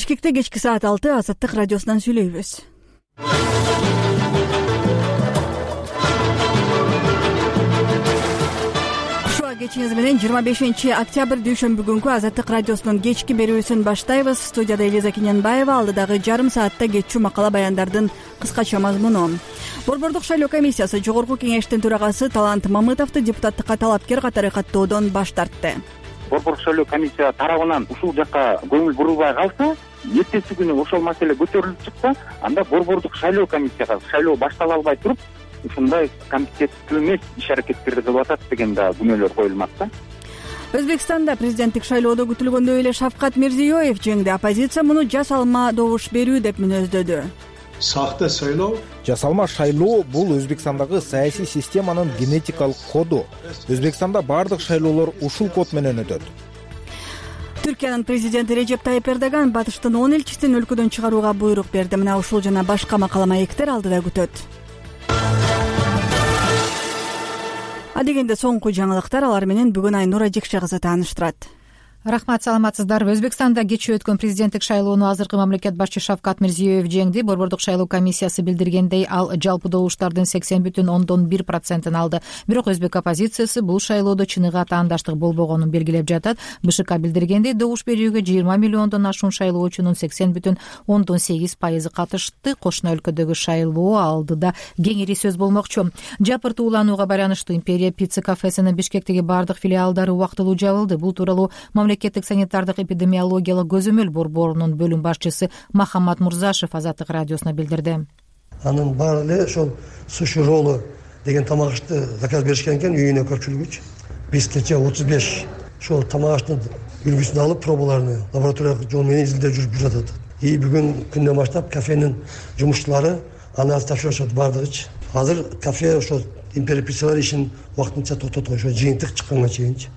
Бишкекте кечки саат 6 Азаттык радиосунан сүйлөйбүз. Ушуга кечиңиз менен 25-октябрь дүйшөмбү күнкү Азаттык радиосунун кечки берүүсүн баштайбыз. Студияда Элиза Кененбаева, алдыдагы жарым саатта кетчү макала баяндардын кыскача мазмуну. Борбордук шайлоо комиссиясы Жогорку кеңештин төрагасы Талант Мамытовду депутаттыкка талапкер катары каттоодон баш тартты. Борбордук шайлоо комиссия тарабынан ушул жакка көңүл бурулбай калса, эртеси күнү ошол маселе көтөрүлүп чыкса, анда борбордук шайлоо комиссияга шайлоо баштала албай туруп, ушундай компетенттүү эмес иш-аракеттерди кылып атат деген да күнөөлөр коюлмак да. Өзбекстанда президенттик шайлоодо күтүлгөндөй эле Шавкат Мирзиёев жеңди. Оппозиция муну жасалма добуш берүү деп мүнөздөдү. Сахта шайлоо, жасалма шайлоо бул Өзбекстандагы саясий системанын генетикалык коду. Өзбекстанда бардык шайлоолор ушул код менен өтөт. Түркиянын президенти Режеп Тайип Эрдоган батыштын 10 элчисин өлкөдөн чыгарууга буйрук берди. Мына ушул жана башка макала маектер алдыда күтөт. Адегенде соңку жаңылыктар, алар менен бүгүн Айнура Жекше кызы тааныштырат. Рахмат, саламатсыздарбы. Өзбекстанда кечээ өткөн президенттик шайлоону азыркы мамлекет башчы Шавкат Мирзиёев жеңди. Борбордук шайлоо комиссиясы билдиргендей, ал жалпы добуштардын 80,1% алды. Бирок өзбек оппозициясы бул шайлоодо чыныгы таандаштык болбогонун белгилеп жатат. БШК билдиргендей, добуш берүүгө 20 миллиондон ашуун шайлоочунун 80,8% катышты. Кошуна өлкөдөгү шайлоо алдыда кеңири сөз болмокчу. Жапырт ууланууга байланыштуу Империя пицца кафесинин Бишкектеги бардык филиалдары убактылуу жабылды. Бул тууралуу Мамлекеттик санитардык эпидемиологиялык көзөмөл борборунун бөлүм башчысы Махамат Мурзашев Азаттык радиосуна билдирди. анын баары эле ошол суши роллу деген тамак ашты заказ беришкен экен үйүнө көпчүлүгүчү. Биз кечээ 35 ошол тамак аштын үлгүсүн алып пробаларын лабораториялык жол менен изилдөө жүрүп жатат. Бүгүн күндөн баштап кафенин жумушчулары анализ тапшырышат бардыгычы. Азыр кафе ошол Империя пиццалар ишин убактынча токтоткон, ошо жыйынтык чыкканга чейинчи.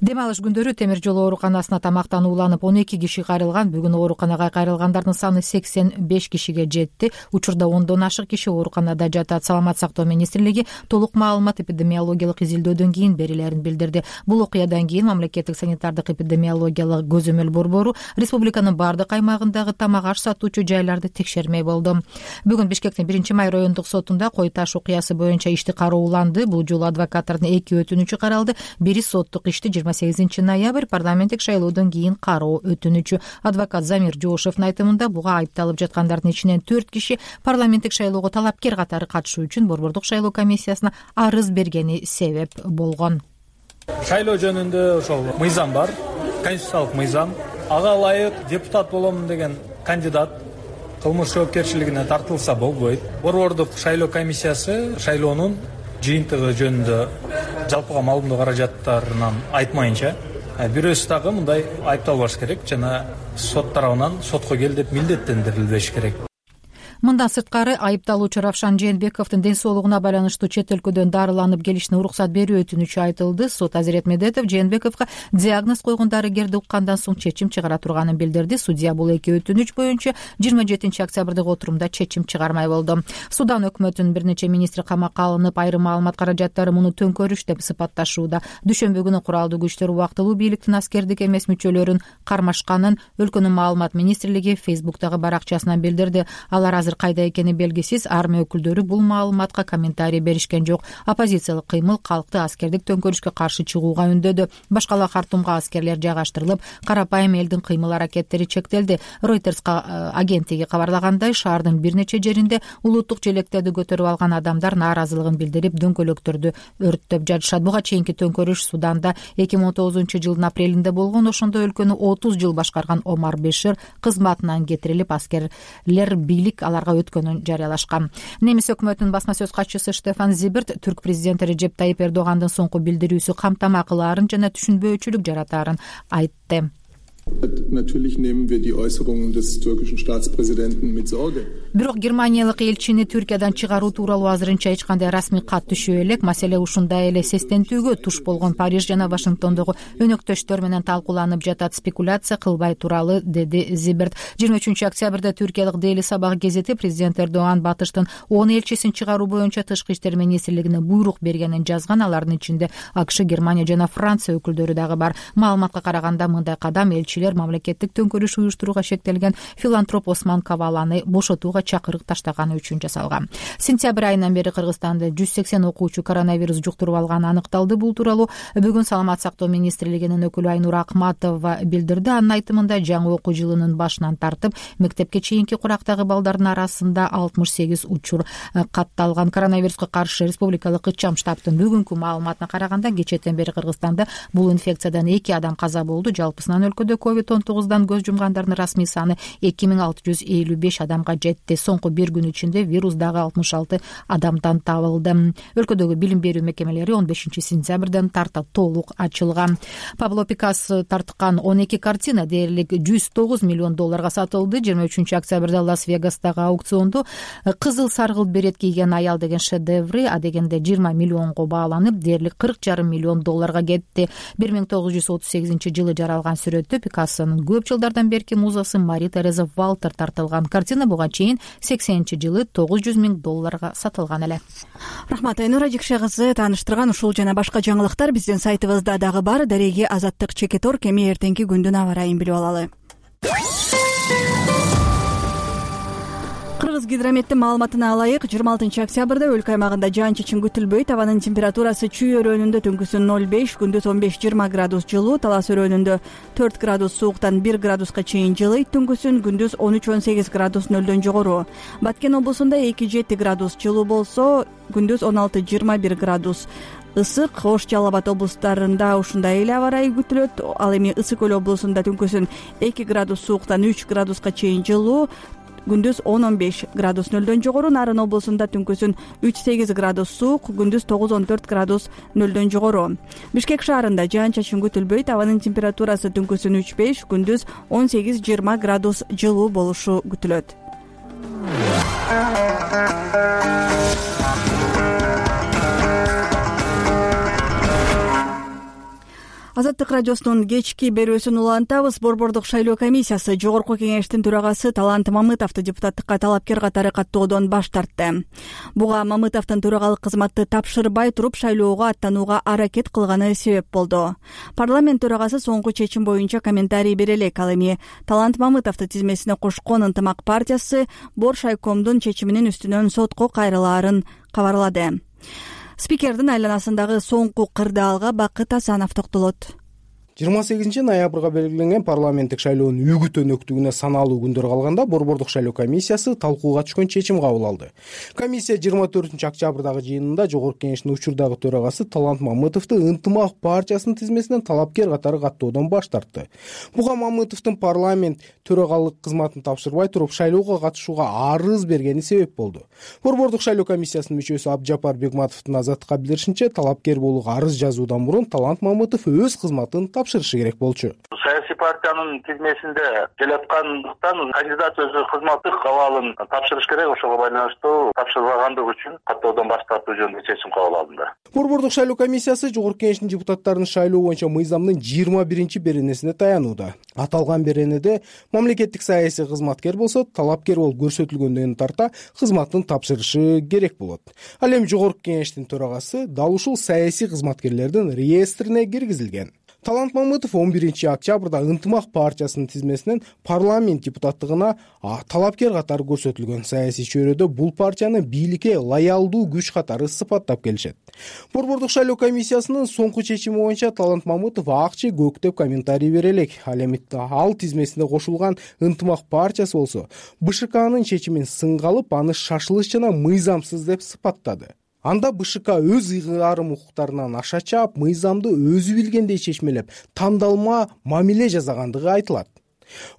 Дем алыш күндөрү темир жол ооруканасына тамактанууланып 12 киши кайрылган. Бүгүн ооруканага кайрылгандардын саны 85 кишиге жетти. Учурда 10дон ашык киши ооруканада жатат. Саламат сактоо министрлиги толук маалымат эпидемиологиялык изилдөөдөн кийин берилерин билдирди. Бул окуядан кийин Мамлекеттик санитардык эпидемиологиялык көзөмөл борбору республиканын бардык аймагындагы тамак аш сатуучу жайларды текшермей болду. Бүгүн Бишкектин 1-май райондук сотунда кой таш окуясы боюнча ишти карооланды. Бул жолу адвокаттардын 2 өтүнүчү каралды. Бири соттук ишти 28 ноябрь парламенттик шайлоодон кийин кароо өтүнүчү. Адвокат Замир Жошевдун айтымында буга айыпталып жаткандардын ичинен 4 киши парламенттик шайлоого талапкер катары катышуу үчүн борбордук шайлоо комиссиясына арыз бергени себеп болгон. Шайлоо жөнүндө ошол мыйзам бар, конституциялык мыйзам. Ага ылайык депутат болом деген кандидат кылмыш жоопкерчилигине тартылса болбойт. Борбордук шайлоо комиссиясы шайлоонун жыйынтыгы жөнүндө жалпыга маалымдоо каражаттарынан айтмайынча бирөөсү дагы мындай айыпталбаш керек жана сот тарабынан сотко кел деп милдеттендирилбеш керек. Мындан сырткары айыпталуучу Равшан Жээнбековдун ден соолугуна байланыштуу чет өлкөдөн дарыланып келишине уруксат берүү өтүнүчү айтылды. Сот Азирет Медетов Жээнбековго диагноз койгон дарыгерди уккандан соң чечим чыгара турганын билдирди. Судья бул 2 өтүнүч боюнча 27 октябрдагы отурумда чечим чыгармай болду. Судан өкмөтүнүн бир нече министри камакка алынып, айрым маалымат каражаттары муну төңкөрүш деп сыпатташууда. Дүйшөмбү күнү куралдуу күчтөр убактылуу бийликтин аскердик эмес мүчөлөрүн кармашканын өлкөнүн маалымат министрлиги Фейсбуктагы баракчасынан билдирди. Алар азыр кайда экени белгисиз. Армия өкүлдөрү бул маалыматка комментарий беришкен жок. Оппозициялык кыймыл калкты аскердик төңкөрүшкө каршы чыгууга үндөдү. Башкала Хартумга аскерлер жайгаштырылып, карапайым элдин кыймыл аракеттери чектелди. Reuters агенттиги кабарлагандай, шаардын бир нече жеринде улуттук желектерди көтөрүп алган адамдар нааразылыгын билдирип, дөңгөлөктөрдү өрттөп жатышат. Буга чейинки төңкөрүш Суданда 2019 жылдын апрелинде болгон. Ошондо өлкөнү 30 жыл башкарган Омар Бешир кызматынан кетирилип, аскерлер бийлик аларга өткөнүн жарыялашкан. Немис өкмөтүнүн басма сөз катчысы Штефан Зиберт түрк президенти Режеп Тайип Эрдогандын соңку билдирүүсү камтама кылаарын жана түшүнбөөчүлүк жаратаарын айтты. Natürlich nehmen wir die Äußerungen des türkischen Staatspräsidenten mit Sorge. Бирок германиялык элчини Түркиядан чыгаруу тууралуу азырынча эч кандай расмий кат түшө элек. Маселе ушундай эле сестентүүгө туш болгон Париж жана Вашингтондогу өнөктөштөр менен талкууланып жатат. Спекуляция кылбай туралы, деди Зиберт. 23 октябрда түркиялык Daily Sabah гезети президент Эрдоган батыштын 10 элчисин чыгаруу боюнча тышкы иштер министрлигине буйрук бергенин жазган. Алардын ичинде АКШ, Германия жана Франция өкүлдөрү дагы бар. Маалыматка караганда мындай кадам элчи кишилер мамлекеттик төңкөрүш уюштурууга шектелген филантроп Осман Каваланы бошотууга чакырык таштаганы үчүн жасалган. Сентябрь айынан бери Кыргызстанда 180 окуучу коронавирус жуктуруп алганы аныкталды. Бул тууралуу бүгүн Саламат сактоо министрлигинин өкүлү Айнур Акматова билдирди. Анын айтымында жаңы окуу жылынын башынан тартып мектепке чейинки курактагы балдардын арасында 68 учур катталган. Коронавируска каршы республикалык ыкчам штабтын бүгүнкү маалыматына караганда кечээден бери Кыргызстанда бул инфекциядан 2 адам каза болду. Жалпысынан өлкөдө COVID-19 көз жумгандардын расмий саны 2655 адамга жетти. Соңку bir күн ичинде вирус дагы 66 адамдан табылды. Өлкөдөгү билим берүү мекемелери 15 сентябрден тарта толук ачылган. Пабло Пикассо тарткан 12 картина дээрлик $109 миллион сатылды. 23 октябрда Лас-Вегастагы аукциондо кызыл саргылт берет кийген аял деген шедеври адегенде 20 миллионго бааланып, дээрлик $40,5 миллион кетти. 1938 жылы жаралган сүрөттө Пикассонун көп жылдардан берки музасы Мари Тереза Валтер тартылган. Картина буга чейин 80-жылы $900 миң сатылган эле. Рахмат Айнур Ажикше кызы тааныштырган ушул жана башка жаңылыктар биздин сайтыбызда дагы бар. Дареги Азаттык Чекетор кеми эртеңки күндүн аба ырайын билип алалы. Кыргыз гидрометтин маалыматына алайык, 26 октябрда өлкө аймагында жаан-чачын күтүлбөйт. Абанын температурасы Чүй өрөөнүндө түнкүсүн 0,5, күндүз 15-20 градус жылуу, Талас өрөөнүндө 4 градус сууктан 1 градуска чейин жылыйт, түнкүсүн күндүз 13-18 градус нөлдөн жогору. Баткен облусунда 2-7 градус жылуу болсо, күндүз 16-21 градус ысык. Ош, Жалал Абад облустарында ушундай эле аба ырайы күтүлөт. Ал эми Ысык көл облусунда түнкүсүн 2 градус сууктан 3 градуска чейин жылуу, күндүз 10-15 градус нөлдөн жогору. Нарын облусунда түнкүсүн 3-8 градус суук, күндүз 9-14 градус нөлдөн жогору. Бишкек шаарында жаан-чачын күтүлбөйт. Абанын температурасы түнкүсүн 3-5, күндүз 18-20 градус жылуу болушу күтүлөт. Азаттык радиосунун кечки берүүсүн улантабыз. Борбордук шайлоо комиссиясы жогорку кеңештин төрагасы Талант Мамытовду депутаттыкка талапкер катары каттоодон баш тартты. Буга Мамытовдун төрагалык кызматты тапшырбай туруп шайлоого аттанууга аракет кылганы себеп болду. Парламент төрагасы соңку чечим боюнча комментарий бере элек. Ал эми Талант Мамытовду тизмесине кошкон Ынтымак партиясы Бор шайкомдун чечиминин үстүнөн сотко кайрылаарын кабарлады. Спикердин айланасындагы соңку кырдаалга Бакыт Асанов токтолот. 28 ноябрга белгиленген парламенттик шайлоонун үгүт өнөктүгүнө саналуу күндөр калганда Борбордук шайлоо комиссиясы талкууга түшкөн чечим кабыл алды. Комиссия 24 октябрдагы жыйынында жогорку кеңештин учурдагы төрагасы Талант Мамытовду Ынтымак партиясынын тизмесинен талапкер катары каттоодон баш тартты. Буга Мамытовдун парламент төрагалык кызматын тапшырбай туруп шайлоого катышууга арыз бергени себеп болду. Борбордук шайлоо комиссиясынын мүчөсү Абжапар Бегматовдун Азаттыкка билдиришинче, талапкер болууга арыз жазуудан мурун Талант Мамытов өз кызматын тапшырышы керек болчу. Саясий партиянын тизмесинде келаткандыктан кандидат өзү кызматтык абалын тапшырыш керек. Ошого байланыштуу тапшырбагандыгы үчүн каттоодон баш тартуу жөнүндө чечим кабыл алынды. Борбордук шайлоо комиссиясы жогорку кеңештин депутаттарын шайлоо боюнча мыйзамдын 21 беренесине таянууда. Аталган беренеде мамлекеттик саясий кызматкер болсо, талапкер болуп көрсөтүлгөндөн тарта кызматын тапшырышы керек болот. Ал эми жогорку кеңештин төрагасы дал ушул саясий кызматкерлердин реестрине киргизилген. Талант Мамытов 11 октябрда Ынтымак партиясынын тизмесинен парламент депутаттыгына талапкер катары көрсөтүлгөн. Саясий чөйрөдө бул партияны бийликке лоялдуу күч катары сыпаттап келишет. Борбордук шайлоо комиссиясынын соңку чечими боюнча Талант Мамытов акчы көк деп комментарий бере элек. Ал эми ал тизмесине кошулган Ынтымак партиясы болсо БШКнын чечимин сынга алып, аны шашылыш жана мыйзамсыз деп сыпаттады. Анда БШК өз ыйгарым укуктарынан аша чаап, мыйзамды өзү билгендей чечмелеп, тандалма мамиле жасагандыгы айтылат.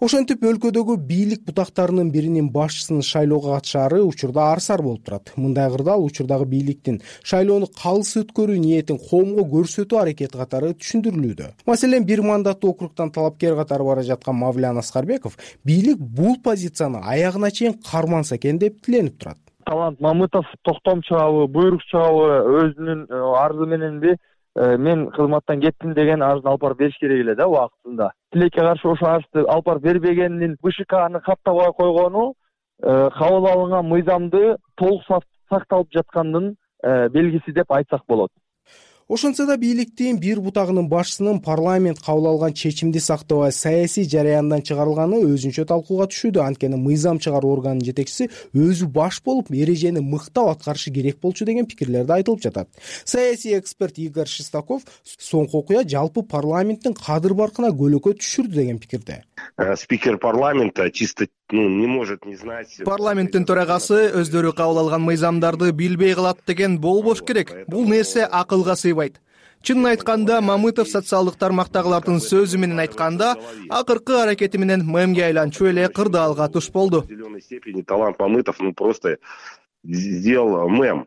Ошентип өлкөдөгү бийлик бутактарынын биринин башчысынын шайлоого катышаары учурда арсар болуп турат. Мындай кырдаал учурдагы бийликтин шайлоону калыс өткөрүү ниетин коомго көрсөтүү аракети катары түшүндүрүлүүдө. Маселен, бир мандаттуу округтан талапкер катары бара жаткан Мавлян Аскарбеков бийлик бул позицияны аягына чейин карманса экен деп тиленип турат. Талант Мамытов токтом чыгабы, буйрук чыгабы өзүнүн арызы мененби мен кызматтан кеттим деген арызын алып барып бериш керек эле да убактында. Тилекке каршы ошо арызды алып барып бербегенин БШКны каттабай койгону кабыл алынган мыйзамды толук сакталып жаткандын белгиси деп айтсак болот. Ошентсе да бийликтин бир бутагынын башчысынын парламент кабыл алган чечимди сактабай саясий жараяндан чыгарылганы өзүнчө талкууга түшүүдө. Анткени мыйзам чыгаруу органынын жетекчиси өзү баш болуп эрежени мыктап аткарышы керек болчу деген пикирлер да айтылып жатат. Саясий эксперт Игорь Шестаков соңку окуя жалпы парламенттин кадыр баркына көлөкө түшүрдү деген пикирде. Спикер парламента чисто не может не знать. Парламенттин төрагасы өздөрү кабыл алган мыйзамдарды билбей калат деген болбош керек. Бул нерсе акылга сыйбайт. Чынын айтканда, Мамытов социалдык тармактагылардын сөзү менен айтканда, акыркы аракети менен мемге айланчу эле кырдаалга туш болду. В определенной степени талант Мамытов просто сделал мем.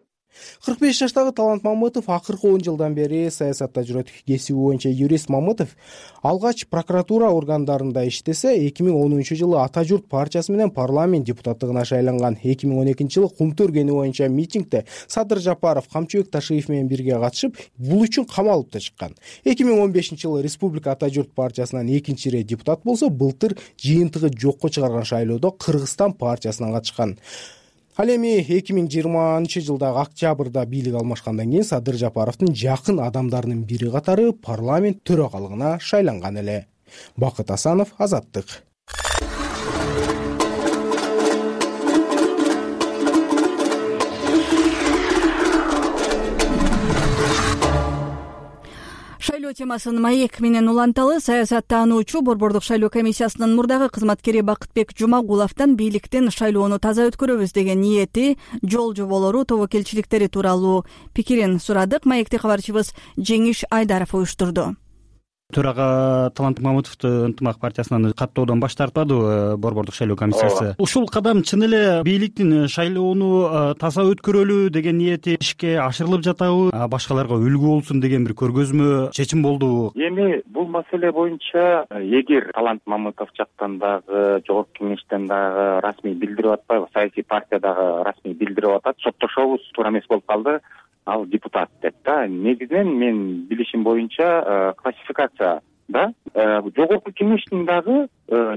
45 жаштагы Талант Мамытов акыркы 10 жылдан бери саясатта жүрөт. Кесиби боюнча юрист Мамытов алгач прокуратура органдарында иштесе, 2010 жылы Ата журт партиясы менен парламент депутаттыгына шайланган. 2012 жылы Кумту өргени боюнча митингде Садыр Жапаров, Камчыбек Ташиев менен бирге катышып, бул үчүн камалып да чыккан. 2015 жылы Республика Ата журт партиясынан экинчи ирет депутат болсо, былтыр жыйынтыгы жокко чыгарган шайлоодо Кыргызстан партиясынан катышкан. Ал эми 2020 жылдагы октябрда бийлик алмашкандан кийин Садыр Жапаровдун жакын адамдарынын бири катары парламент төрагалыгына шайланган эле. Бакыт Асанов, Азаттык. Шайлоо темасын маек менен уланталы. Саясаттануучу Борбордук шайлоо комиссиясынын мурдагы кызматкери Бакытбек Жумагуловдон бийликтин шайлоону таза өткөрөбүз деген ниети, жол жоболору, тобокелчиликтери тууралуу пикирин сурадык. Маекти кабарчыбыз Жеңиш Айдаров уюштурду. Төрага Талант Мамытовду ынтымак партиясынан каттоодон баш тартпадыбы Борбордук шайлоо комиссиясы? Ушул кадам чын эле бийликтин шайлоону таза өткөрөлү деген ниети ишке ашырылып жатабы? Башкаларга үлгү болсун деген бир көргөзмө чечим болдубу? Эми бул маселе боюнча эгер Талант Мамытов жактан дагы, Жогорку кеңештен дагы расмий билдирип атпайбы, саясий партия дагы расмий билдирип атат, соттошобуз туура эмес болуп калды, ал депутат деп да. Негизинен мен билишим боюнча классификацияда Жогорку кеңештин дагы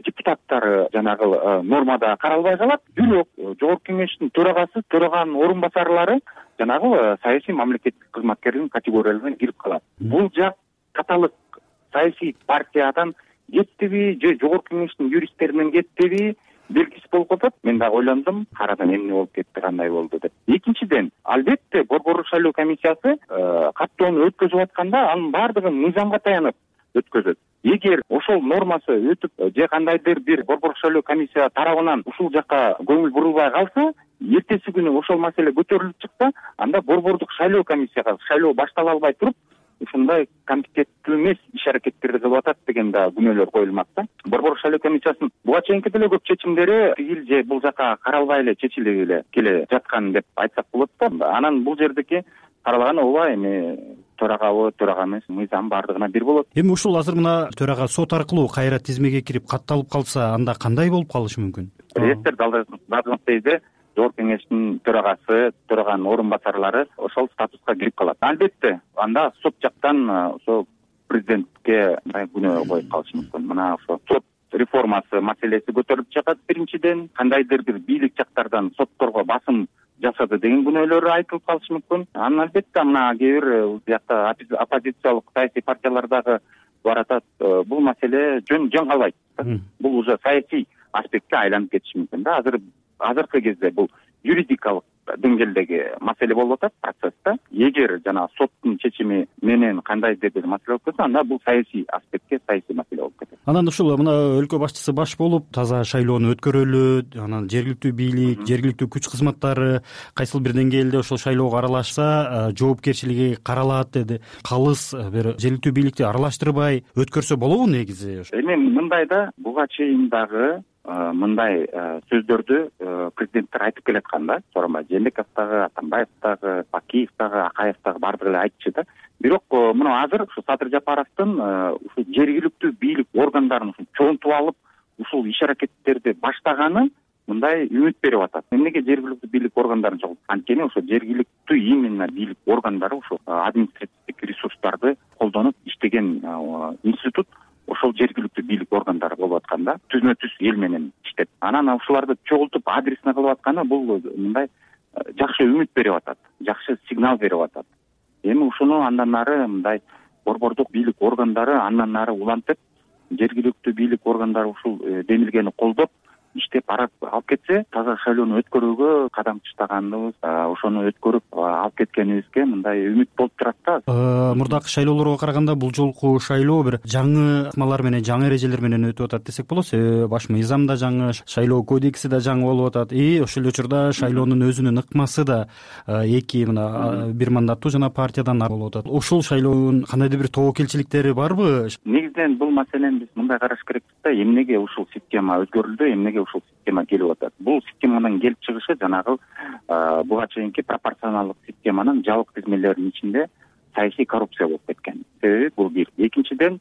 депутаттары жанагы нормада каралбай калат. Бирок Жогорку кеңештин төрагасы, төраганын орун басарлары жанагы саясий мамлекеттик кызматкердин категорияларына кирип калат. Бул жак каталык саясий партиядан кеттиби же Жогорку кеңештин юристтеринен кеттиби белгисиз болуп атат. Мен дагы ойлондум, карадан эмне болуп кетти, кандай болду деп. Экинчиден, албетте Борбордук шайлоо комиссиясы каттоону өткөзүп атканда анын баардыгын мыйзамга таянып өткөзөт. Эгер ошол нормасы өтүп же кандайдыр бир Борбордук шайлоо комиссия тарабынан ушул жакка көңүл бурулбай калса, эртеси күнү ошол маселе көтөрүлүп чыкса, анда Борбордук шайлоо комиссияга шайлоо баштала албай туруп, ушундай компетенттүү эмес иш аракеттерди кылып атат деген да күнөөлөр коюлмак да. Борбордук шайлоо комиссиясынын буга чейинки деле көп чечимдери тигил же бул жака каралбай эле чечилип эле келе жаткан деп айтсак болот да. Анан бул жердеки каралаган ооба эми төрагабы, төрага эмес, мыйзам баардыгына бир болот. Эми ушул азыр мына төрага сот аркылуу кайра тизмеге кирип катталып калса, анда кандай болуп калышы мүмкүн? Реестр дагы Жогорку кеңештин төрагасы, төраганын орун басарлары ошол статуска кирип калат. Албетте, анда сот жактан ошо президентке күнөө коюп калышы мүмкүн. Мына ошо сот реформасы маселеси көтөрүлүп чыгат. Биринчиден, кандайдыр бир бийлик жактардан сотторго басым жасады деген күнөөлөр айтылып калышы мүмкүн. Анан албетте мына кээ бир жакта оппозициялык саясий партиялар дагы баратат. Бул маселе жөн калбайт. Бул уже саясий аспектке айланып кетиши мүмкүн да. Азыркы кезде бул юридикалык деңгээлдеги маселе болуп атат процессте. Эгер жана соттун чечими менен кандайдыр бир маселе болуп кетсе, анда бул саясий аспектке, саясий маселе болуп кетет. Анан ушул мына өлкө башчысы баш болуп, таза шайлоону өткөрөлү, анан жергиликтүү бийлик, жергиликтүү күч кызматтары кайсыл бир деңгээлде ошол шайлоого аралашса, жоопкерчилиги каралат деди. Калыс бир жергиликтүү бийликти аралаштырбай өткөрсө болобу негизи? Эми мындай да, буга чейин дагы мындай сөздөрдү президенттер айтып келаткан да. Сооронбай Жээнбеков дагы, Атамбаев дагы, Бакиев дагы, Акаев дагы баардыгы эле айтчу да. Бирок мына азыр ушу Садыр Жапаровдун ушу жергиликтүү бийлик органдарын чогултуп алып, ушул иш аракеттерди баштаганы мындай үмүт берип атат. Эмнеге жергиликтүү бийлик органдарын чогултуп? Анткени ошо жергиликтүү именно бийлик органдары ошо административдик ресурстарды колдонуп иштеген институт ошол жергиликтүү бийлик органдары болуп атканда, түзмө-түз эл менен иштеп, анан ушуларды чогултуп адресине кылып атканы бул мындай жакшы үмүт берип атат, жакшы сигнал берип атат. Эми ушуну андан ары мындай борбордук бийлик органдары андан ары улантып, жергиликтүү бийлик органдары ушул демилгени колдоп иштеп алып кетсе, таза шайлоону өткөрүүгө кадам таштаганыбыз, ошону өткөрүп алып кеткенибизге мындай үмүт болуп турат да. Мурдакы шайлоолорго караганда бул жолку шайлоо бир жаңы ыкмалар менен, жаңы эрежелер менен өтүп атат десек болот. Баш мыйзам да жаңы, шайлоо кодекси да жаңы болуп атат. Ошол эле учурда шайлоонун өзүнүн ыкмасы да эки мына бир мандаттуу жана партиядан болуп атат. Ушул шайлоонун кандайдыр бир тобокелчиликтери барбы? Негизинен бул маселени биз мындай караш керекпиз да, эмнеге ушул система өзгөрүлдү, эмнеге ушул система келип атат. Бул системанын келип чыгышы жанагы буга чейинки пропорционалдык системанын жабык тизмелеринин ичинде саясий коррупция болуп кеткен. Себеби бул бир. Экинчиден,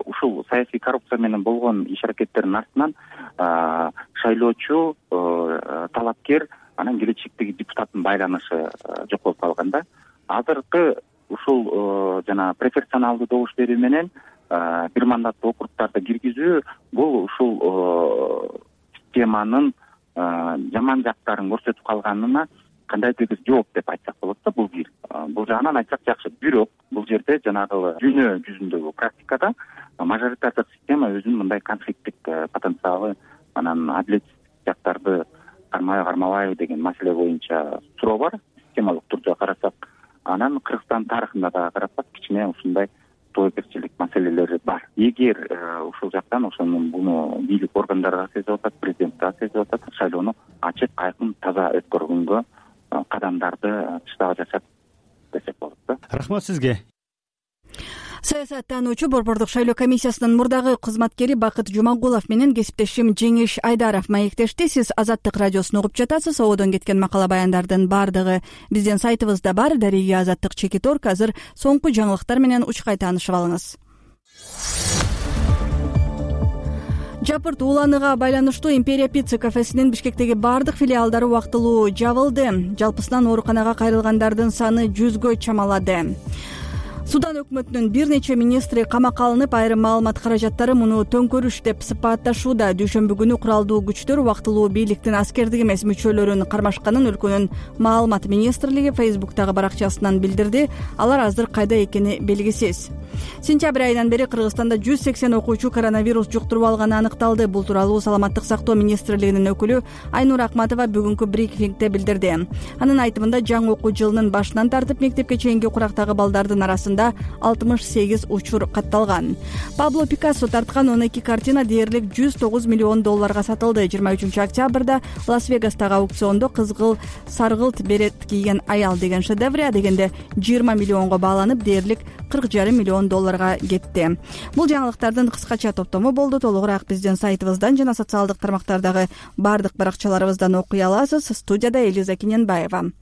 ушул саясий коррупция менен болгон иш-аракеттердин артынан шайлоочу, талапкер, анан келечектеги депутаттын байланышы жоколуп калган да. Азыркы ушул жана пропорционалдуу добуш берүү менен бир мандаттуу округдарды киргизүү бул ушул системанын жаман жактарын көрсөтүп калганына кандайдыр бир жооп деп айтсак болот да. Бул бир. Бул жагынан айтсак жакшы. Бирок бул жерде жанагы дүйнө жүзүндөгү практикада мажоритардык система өзүнүн мындай конфликттик потенциалы, анан адилетсиздик жактарды кармабайбы деген маселе боюнча суроо бар. Системалык түрдө карасак, анан Кыргызстан тарыхында дагы карасак кичине ушундай тобокелчилик маселелери бар. Эгер ушул жактан ошонун буну бийлик органдары сезип атат, президент да сезип атат, шайлоону ачык, айкын, таза өткөргөнгө кадамдарды таштап жатат десек болот да. Рахмат сизге. Саясаттануучу Борбордук шайлоо комиссиясынын мурдагы кызматкери Бакыт Жумагулов менен кесиптешим Жеңиш Айдаров маектешти. Сиз Азаттык радиосун угуп жатасыз. Ободон кеткен макала баяндардын баардыгы биздин сайтыбызда бар. Дареги Азаттык /Org. Азыр соңку жаңылыктар менен учкай таанышып алыңыз. Жапырт ууланыга байланыштуу Империя Пицца кафесинин Бишкектеги баардык филиалдары убактылуу жабылды. Жалпысынан ооруканага кайрылгандардын саны 100гө чамалады. Судан өкмөтүнүн бир нече министри камакка алынып, айрым маалымат каражаттары муну төңкөрүш деп сыпатташууда. Дүйшөмбү күнү куралдуу күчтөр убактылуу бийликтин аскердик эмес мүчөлөрүн кармашканын өлкөнүн маалымат министрлиги Facebook'тагы баракчасынан билдирди. Алар азыр кайда экени белгисиз. Сентябрь айынан бери Кыргызстанда 180 окуучу коронавирус жуктуруп алганы аныкталды. Бул тууралуу Саламаттык сактоо министрлигинин өкүлү Айнура Акматова бүгүнкү брифингде билдирди. Анын айтымында, жаңы окуу жылынын башынан тартып мектепке чейинки курактагы балдардын арасында 68 учур катталган. Пабло Пикассо тарткан 12 картина дээрлик $109 миллион сатылды. 23 октябрда Лас-Вегастагы аукциондо кызгыл саргылт берет кийген аял деген шедевр адегенде 20 миллионго бааланып, дээрлик $40,5 миллион кетти. Бул жаңылыктардын кыскача топтому болду. Толугураак биздин сайтыбыздан жана социалдык тармактардагы бардык баракчаларыбыздан окуй аласыз. Студияда Элиза Киненбаева.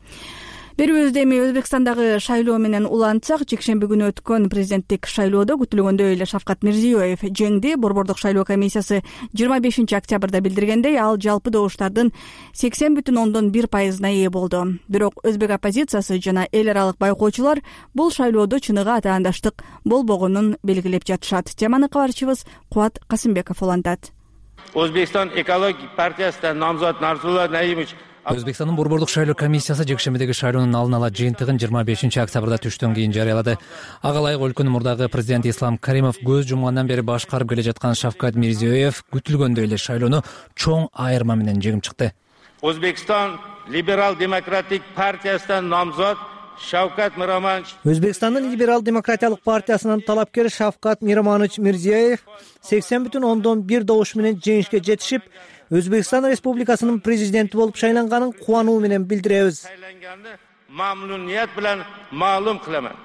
Берүүбүздө эми Өзбекстандагы шайлоо менен улантсак, жекшемби күнү өткөн президенттик шайлоодо күтүлгөндөй эле Шавкат Мирзиёев жеңди. Борбордук шайлоо комиссиясы 25 октябрда билдиргендей, ал жалпы добуштардын 80,1% ээ болду. Бирок өзбек оппозициясы жана эл аралык байкоочулар бул шайлоодо чыныгы атаандаштык болбогонун белгилеп жатышат. Теманы кабарчыбыз Кубат Касымбеков улантат. Өзбекстан экологик партиясынан намзат Нарзулла Наимович Өзбекстандын Борбордук шайлоо комиссиясы жекшембидеги шайлоонун алдын ала жыйынтыгын 25 октябрда түштөн кийин жарыялады. Ага ылайык өлкөнүн мурдагы президенти Ислам Каримов көз жумгандан бери башкарып келе жаткан Шавкат Мирзиёев күтүлгөндөй эле шайлоону чоң айырма менен жеңип чыкты. Өзбекстан либерал-демократик партиясынан намзат Шавкат Мироманович. Өзбекстандын либерал-демократиялык партиясынын талапкери Шавкат Мироманович Мирзиёев 80,1 добуш менен жеңишке жетишип, Өзбекстан Республикасынын президенти болуп шайланганын кубануу менен билдиребиз. Мамнуният менен маалым кыламын.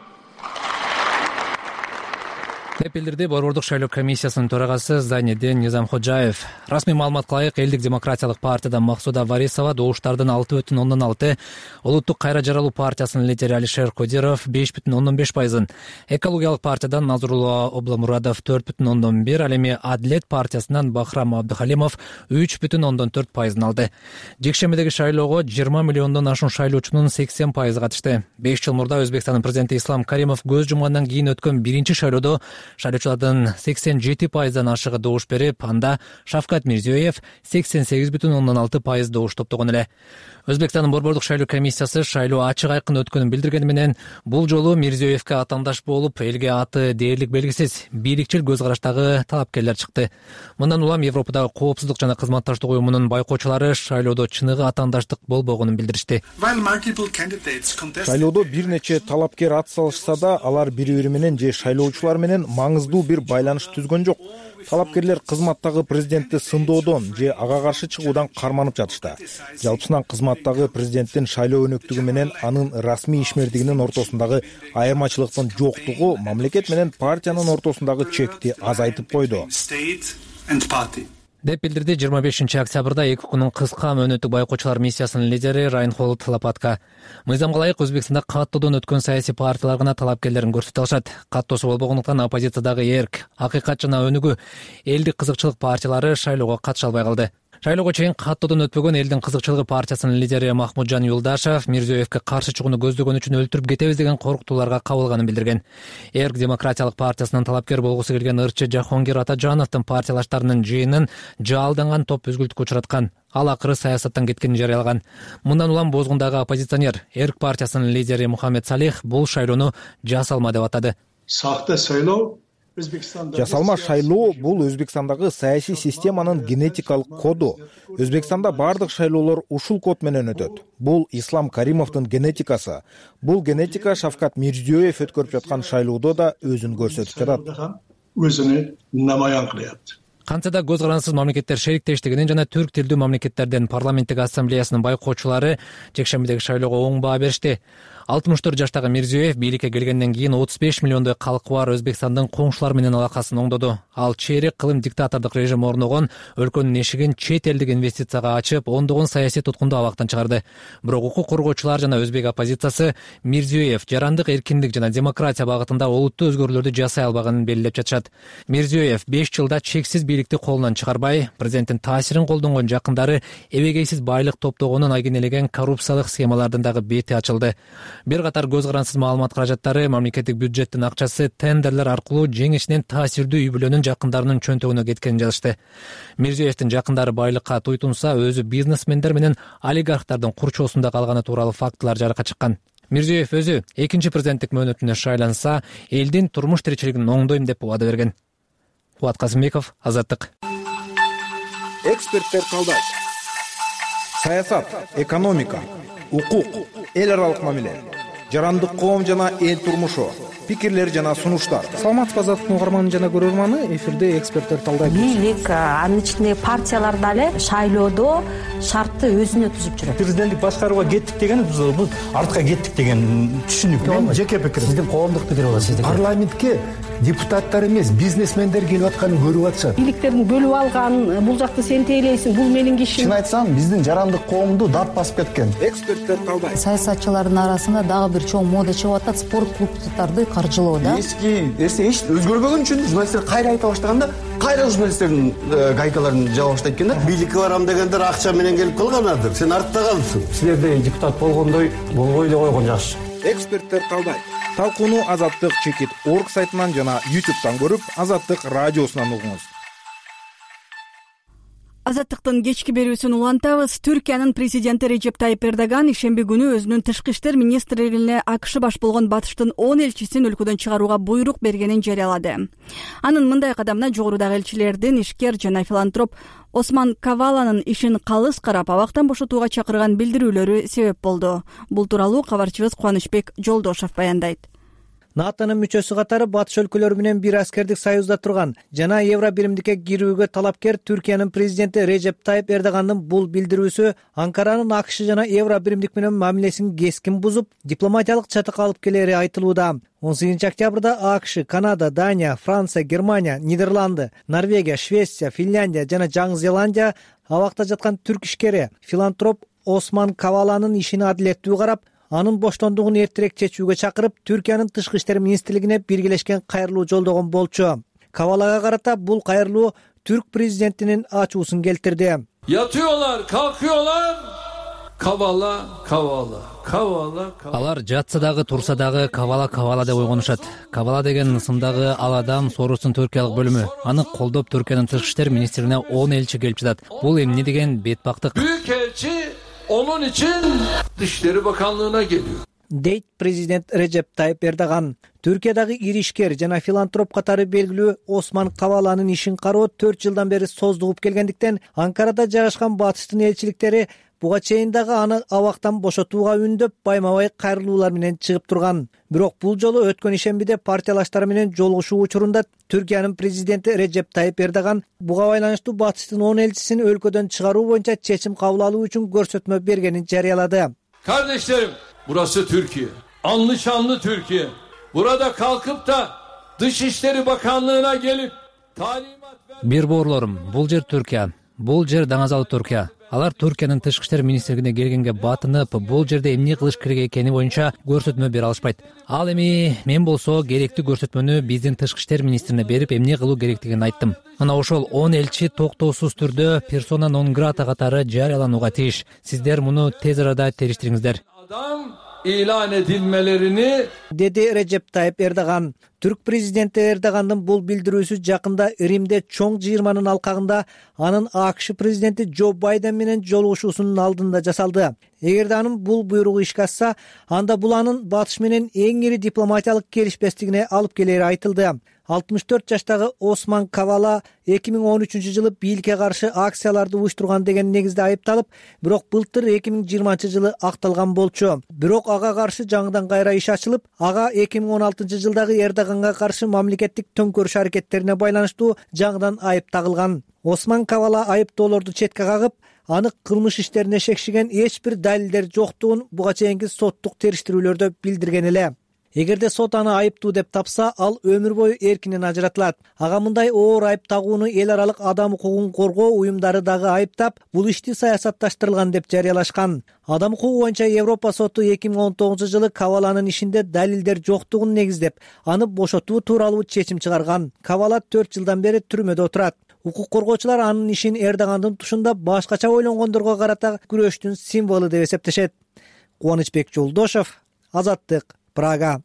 деп билдирди Борбордук шайлоо комиссиясынын төрагасы Зайнеддин Низамходжаев. Расмий маалыматка ылайык, Элдик демократиялык партиядан Максуда Варисова добуштардын 6,6, Улуттук кайра жаралуу партиясынын лидери Алишер Кодиров 5,5%, Экологиялык партиядан Назрулла Обламурадов 4,1, ал эми Адилет партиясынан Бахрам Абдухалимов 3,4% алды. Жекшембидеги шайлоого 20 миллиондон ашуун шайлоочунун 80% катышты. 5 жыл мурда Өзбекстандын президенти Ислам Каримов көз жумгандан кийин өткөн биринчи шайлоодо шайлоочулардын 87%дан ашыгы добуш берип, анда Шавкат Мирзиёев 88,6% добуш топтогон эле. Өзбекстандын борбордук шайлоо комиссиясы шайлоо ачык айкын өткөнүн билдиргени менен, бул жолу Мирзиёевке атаандаш болуп, элге аты дээрлик белгисиз бийликчил көз караштагы талапкерлер чыкты. Мындан улам Европадагы коопсуздук жана кызматташтык уюмунун байкоочулары шайлоодо чыныгы атаандаштык болбогонун билдиришти. Шайлоодо бир нече талапкер ат салышса да, алар бири-бири менен же шайлоочулар менен маңыздуу бир байланыш түзгөн жок. Талапкерлер кызматтагы президентти сындоодон же ага каршы чыгуудан карманып жатышты. Жалпысынан кызматтагы президенттин шайлоо өнөктүгү менен анын расмий ишмердигинин ортосундагы айырмачылыктын жоктугу мамлекет менен партиянын ортосундагы чекти азайтып койду, деп билдирди 25-октябрда 2 күнүн кыска мөөнөттүк байкоочулар миссиясынын лидери Райнхолд Лопатка. Мыйзамга ылайык Өзбекстанда каттоодон өткөн саясий партиялар гана талапкерлерин көрсөтө алышат. Каттоосу болбогондуктан оппозициядагы Эрк, Акыйкат жана Өнүгүү элдик кызыкчылык партиялары шайлоого катыша албай калды. Шайлоого чейин каттоодон өтпөгөн элдин кызыкчылыгы партиясынын лидери Махмуджан Юлдашев Мирзиёевке каршы чыгууну көздөгөн үчүн өлтүрүп кетебиз деген коркутууларга кабылганын билдирген. Эрк демократиялык партиясынын талапкер болгусу келген ырчы Жахонгир Атажановдун партиялаштарынын жыйынын жаалданган топ үзгүлтүккө учраткан. Ал акыры саясаттан кеткенин жарыялаган. Мындан улам бозгундагы оппозиционер Эрк партиясынын лидери Мухаммед Салих бул шайлоону жасалма деп атады. Жасалма шайлоо бул Өзбекстандагы саясий системанын генетикалык коду. Өзбекстанда бардык шайлоолор ушул код менен өтөт. Бул Ислам Каримовдун генетикасы. Бул генетика Шавкат Мирзиёев өткөрүп жаткан шайлоодо да өзүн көрсөтүп жатат. Кантсе да көз карансыз мамлекеттер шериктештигинин жана түрк тилдүү мамлекеттердин парламенттик ассамблеясынын байкоочулары жекшембидеги шайлоого оң баа беришти. 64 жаштагы Мирзиёев бийликке келгенден кийин 35 миллиондой калкы бар Өзбекстандын коңшулар менен алакасын оңдоду. Ал чейрек кылым диктатордук режим орногон өлкөнүн эшигин чет элдик инвестицияга ачып, ондогон саясий туткунду абактан чыгарды. Бирок укук коргоочулар жана өзбек оппозициясы Мирзиёев жарандык эркиндик жана демократия багытында олуттуу өзгөрүүлөрдү жасай албаганын белгилеп жатышат. Мирзиёев 5 жылда чексиз бийликти колунан чыгарбай, президенттин таасирин колдонгон жакындары эбегейсиз байлык топтогонун айгинелеген коррупциялык схемалардын дагы бети ачылды. Бир катар көз карансыз маалымат каражаттары мамлекеттик бюджеттин акчасы тендерлер аркылуу жеңишинен таасирдүү үй бүлөнүн жакындарынын чөнтөгүнө кеткенин жазышты. Мирзиёевдин жакындары байлыкка туйтунса, өзү бизнесмендер менен олигархтардын курчоосунда калганы тууралуу фактылар жарыкка чыккан. Мирзиёев өзү экинчи президенттик мөөнөтүнө шайланса, элдин турмуш тиричилигин оңдойм деп убада берген. Кубат Казымбеков, Азаттык. Эксперттер талдайт. Саясат, экономика, укук, эл аралык мамиле, жарандык коом жана эл турмушу, пикирлер жана сунуштар. Саламатсызбы, Азаттыктын угарманы жана көрөрманы, эфирде эксперттер талдайт. Бийлик, анын ичинде партиялар дагы шайлоодо шартты өзүнө түзүп жүрөт. Президенттик башкарууга кеттик деген бул артка кеттик деген түшүнүк. Мен жеке пикирим. Сиздин коомдук пикир болот, сиздин. Парламентке депутаттар эмес, бизнесмендер келип атканын көрүп атышат. Бийликтерин бөлүп алган, бул жакты сен тейлейсиң, бул менин кишим. Чын айтсам, биздин жарандык коомду дат басып кеткен. Эксперттер талдайт. Саясатчылардын арасында дагы бир чоң мода чыгып атат, спорт клубдарды каржылоо да. Эски эч өзгөрбөгөн үчүн журналисттер кайра айта баштаганда, кайра журналисттердин гайкаларын жаба баштайт экен да. Бийликке барам дегендер акча менен келип калганадыр. Сен артта калдың. Силерде депутат болгондой болбой эле койгон жакшы. Эксперттер талдайт. Талкууну Азаттык чекит орг сайтынан жана YouTube'дан көрүп, Азаттык радиосунан угуңуз. Азаттыктын кечки берүүсүн улантабыз. Түркиянын президенти Режеп Тайип Эрдоган ишемби күнү өзүнүн тышкы иштер министрлигине АКШ баш болгон батыштын 10 элчисин өлкөдөн чыгарууга буйрук бергенин жарыялады. Анын мындай кадамына жогорудагы элчилердин ишкер жана филантроп Осман Каваланын ишин калыс карап, абактан бошотууга чакырган билдирүүлөрү себеп болду. Бул тууралуу кабарчыбыз Кубанычбек Жолдошов баяндайт. НАТОнун мүчөсү катары батыш өлкөлөрү менен бир аскердик союзда турган жана Евро биримдикке кирүүгө талапкер Түркиянын президенти Режеп Тайип Эрдогандын бул билдирүүсү Анкаранын АКШ жана Евро биримдик менен мамилесин кескин бузуп, дипломатиялык чатакка алып келери айтылууда. 18 октябрда АКШ, Канада, Дания, Франция, Германия, Нидерланды, Норвегия, Швеция, Финляндия жана Жаңы Зеландия абакта жаткан түрк ишкери филантроп Осман Каваланын ишин адилеттүү карап, анын боштондугун эртерээк чечүүгө чакырып, Түркиянын тышкы иштер министрлигине биргелешкен кайрылуу жолдогон болчу. Кавалага карата бул кайрылуу түрк президентинин ачуусун келтирди. Yatıyorlar, kalkıyorlar, Kavala, kavala, kavala, kavala. Алар жатса дагы турса дагы кавала деп ойгонушат. Кавала деген ысымдагы ал адам Соростун Түркиялык бөлүмү. Аны колдоп Түркиянын тышкы иштер министрине 10 элчи келип жатат. Бул эмне деген бетбактык? Büyük elçi onun için Dışişleri Bakanlığı'na geliyor. дейт президент Режеп Тайып Эрдоган. Түркиядагы ири ишкер жана филантроп катары белгилүү Осман Каваланын ишин кароо 4 жылдан бери создугуп келгендиктен Анкарада жайгашкан Батыштын элчиликтери буга чейин дагы аны абактан бошотууга үндөп байма-бай кайрылуулар менен чыгып турган. Бирок бул жолу өткөн ишембиде партиялаштары менен жолугушуу учурунда Түркиянын президенти Режеп Тайып Эрдоган буга байланыштуу Батыштын 10 элчисин өлкөдөн чыгаруу боюнча чечим кабыл алуу үчүн көрсөтмө бергенин жарыялады. Kardeşlerim, burası Türkiye. Anlı şanlı Türkiye. Burada kalkıp da Dışişleri Bakanlığı'na gelip talimat ver... Бир боорлорум, бул жер Түркия. Бул жер даңазалуу Түркия. Алар Түркиянын тышкы иштер министрлигине келгенге батынып, бул жерде эмне кылыш керек экени боюнча көрсөтмө бере алышпайт. Ал эми мен болсо керектүү көрсөтмөнү биздин тышкы иштер министрине берип, эмне кылуу керектигин айттым. Мына ошол 10 элчи токтоосуз түрдө персона нон грата катары жарыяланууга тийиш. Сиздер муну тез арада териштириңиздер. Adam ilan edilmelerini деди Режеп Тайып Эрдоган. Түрк президенти Эрдогандын бул билдирүүсү жакында Римде чоң жыйырманын алкагында анын АКШ президенти Джо Байден менен жолугушуусунун алдында жасалды. Эгерде анын бул буйругу ишке ашса, анда бул анын Батыш менен эң ири дипломатиялык келишпестигине алып келери айтылды. 64 жаштагы Осман Кавала 2013-жылы бийликке каршы акцияларды уюштурган деген негизде айыпталып, бирок былтыр 2020-жылы акталган болчу. Бирок ага каршы жаңыдан кайра иш ачылып, ага 2016-жылдагы Эрдоганга каршы мамлекеттик төңкөрүш аракеттерине байланыштуу жаңыдан айып тагылган. Осман Кавала айыптоолорду четке кагып, аны кылмыш иштерине шекшиген эч бир далилдер жоктугун буга чейинки соттук териштирүүлөрдө билдирген эле. Эгерде сот аны айыптуу деп тапса, ал өмүр бою эркинен ажыратылат. Ага мындай оор айып тагууну эл аралык адам укугун коргоо уюмдары дагы айыптап, бул ишти саясатташтырылган деп жарыялашкан. Адам укугу боюнча Европа соту 2019-жылы Каваланын ишинде далилдер жоктугун негиздеп, аны бошотуу тууралуу чечим чыгарган. Кавала 4 жылдан бери түрмөдө отурат. Укук коргоочулар анын ишин Эрдогандын тушунда башкача ойлонгондорго карата күрөштүн символу деп эсептешет. Кубанычбек Жолдошов, Азаттык, Прага.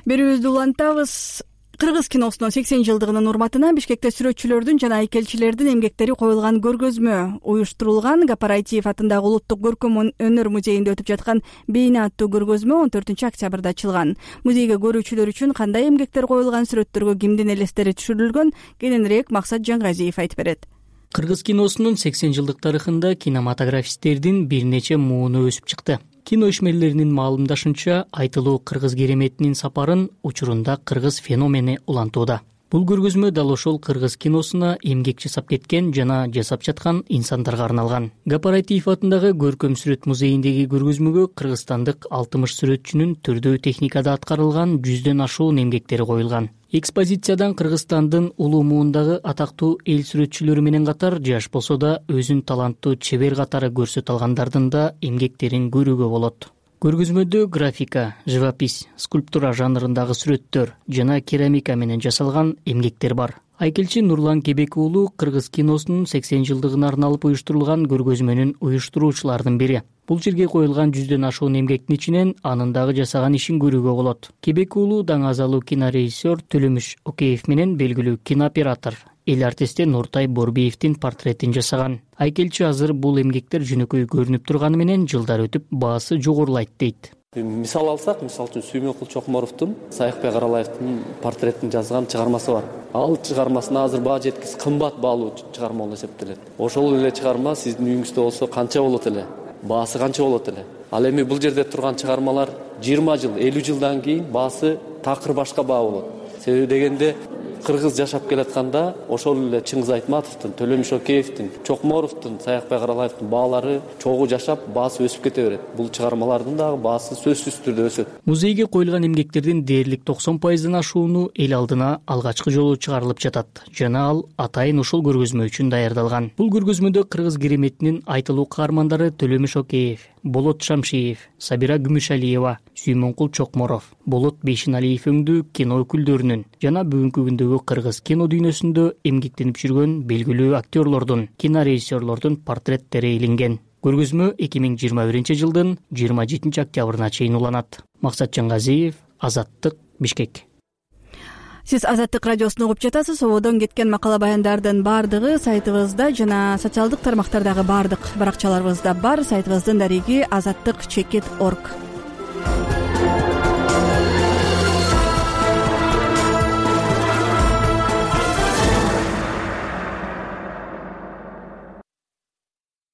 Берүүбүздү улантабыз. Кыргыз киносунун 80 жылдыгынын урматына Бишкекте сүрөтчүлөрдүн жана айкелчилердин эмгектери коюлган көргөзмө уюштурулган. Гапараитиев атындагы Улуттук көркөм өнөр музейинде өтүп жаткан Бейна аттуу көргөзмө 14-октябрда ачылган. Музейге көрүүчүлөр үчүн кандай эмгектер коюлган, сүрөттөргө кимдин элестери түшүрүлгөн, кененирээк Максат Жаңгазиев айтып берет. Кыргыз киносунун 80 жылдык тарыхында кинематографисттердин бир нече мууну өсүп чыкты. Кино ишмерлеринин маалымдашынча, айтылуу кыргыз кереметинин сапарын учурунда кыргыз феномени улантууда. Бул көргөзмө дал ошол кыргыз киносуна эмгек жасап кеткен жана жасап жаткан инсандарга арналган. Гапараитиев атындагы Көркөм сүрөт музейиндеги көргөзмөгө кыргызстандык 60 сүрөтчүнүн түрдүү техникада аткарылган 100дөн ашуун эмгектери коюлган. Экспозициядан Кыргызстандын улуу муундагы атактуу эл сүрөтчүлөрү менен катар жаш болсо да өзүн таланттуу чебер катары көрсөтө алгандардын да эмгектерин көрүүгө болот. Көргөзмөдө графика, живопись, скульптура жанрындагы сүрөттөр жана керамика менен жасалган эмгектер бар. Айкелчи Нурлан Кебек уулу кыргыз киносунун 80 жылдыгына арналып уюштурулган көргөзмөнүн уюштуруучуларынын бири. Бул жерге коюлган 100дөн ашуун эмгектин ичинен анын дагы жасаган ишин көрүүгө болот. Кебек уулу даңазалуу кинорежиссер Төлөмүш Океев менен белгилүү кинооператор эл артисти Нуртай Борбиевдин портретин жасаган. Айкелчи азыр бул эмгектер жөнөкөй көрүнүп турганы менен жылдар өтүп баасы жогорулайт дейт. Мисал алсак, мисалы үчүн Сүймөнкул Чокморовдун Саякбек Аралаевдин портретин жазган чыгармасы бар. Ал чыгармасына азыр баа жеткис кымбат баалуу чыгарма болуп эсептелет. Ошол эле чыгарма сиздин үйүңүздө болсо канча болот эле? Баасы канча болот эле? Ал эми бул жерде турган чыгармалар 20 жыл, 50 жылдан кийин баасы такыр башка баа болот. Себеби дегенде кыргыз жашап келатканда ошол эле Чыңгыз Айтматовдун, Төлөмүш Океевдин, Чокморовдун, Саякбек Аралаевдин баалары чогуу жашап, баасы өсүп кете берет. Бул чыгармалардын дагы баасы сөзсүз түрдө өсөт. Музейге коюлган эмгектердин дээрлик 90%дан ашууну эл алдына алгачкы жолу чыгарылып жатат жана ал атайын ушул көргөзмө үчүн даярдалган. Бул көргөзмөдө кыргыз кереметинин айтылуу каармандары Төлөмүш Океев, Болот Шамшиев, Сабира Күмүшалиева, Сүймөнкул Чокморов, Болот Бейшеналиев өңдүү кино өкүлдөрүнүн жана бүгүнкү күндөгү кыргыз кино дүйнөсүндө эмгектенип жүргөн белгилүү актерлордун, кинорежиссерлордун портреттери илинген. Көргөзмө 2021 жылдын 27 октябрына чейин уланат. Максат Жаңгазиев, Азаттык, Бишкек. Сиз Азаттык радиосун угуп жатасыз. Ободон кеткен макала баяндардын баардыгы сайтыбызда жана социалдык тармактардагы баардык баракчаларыбызда бар. Сайтыбыздын дареги azattik.org.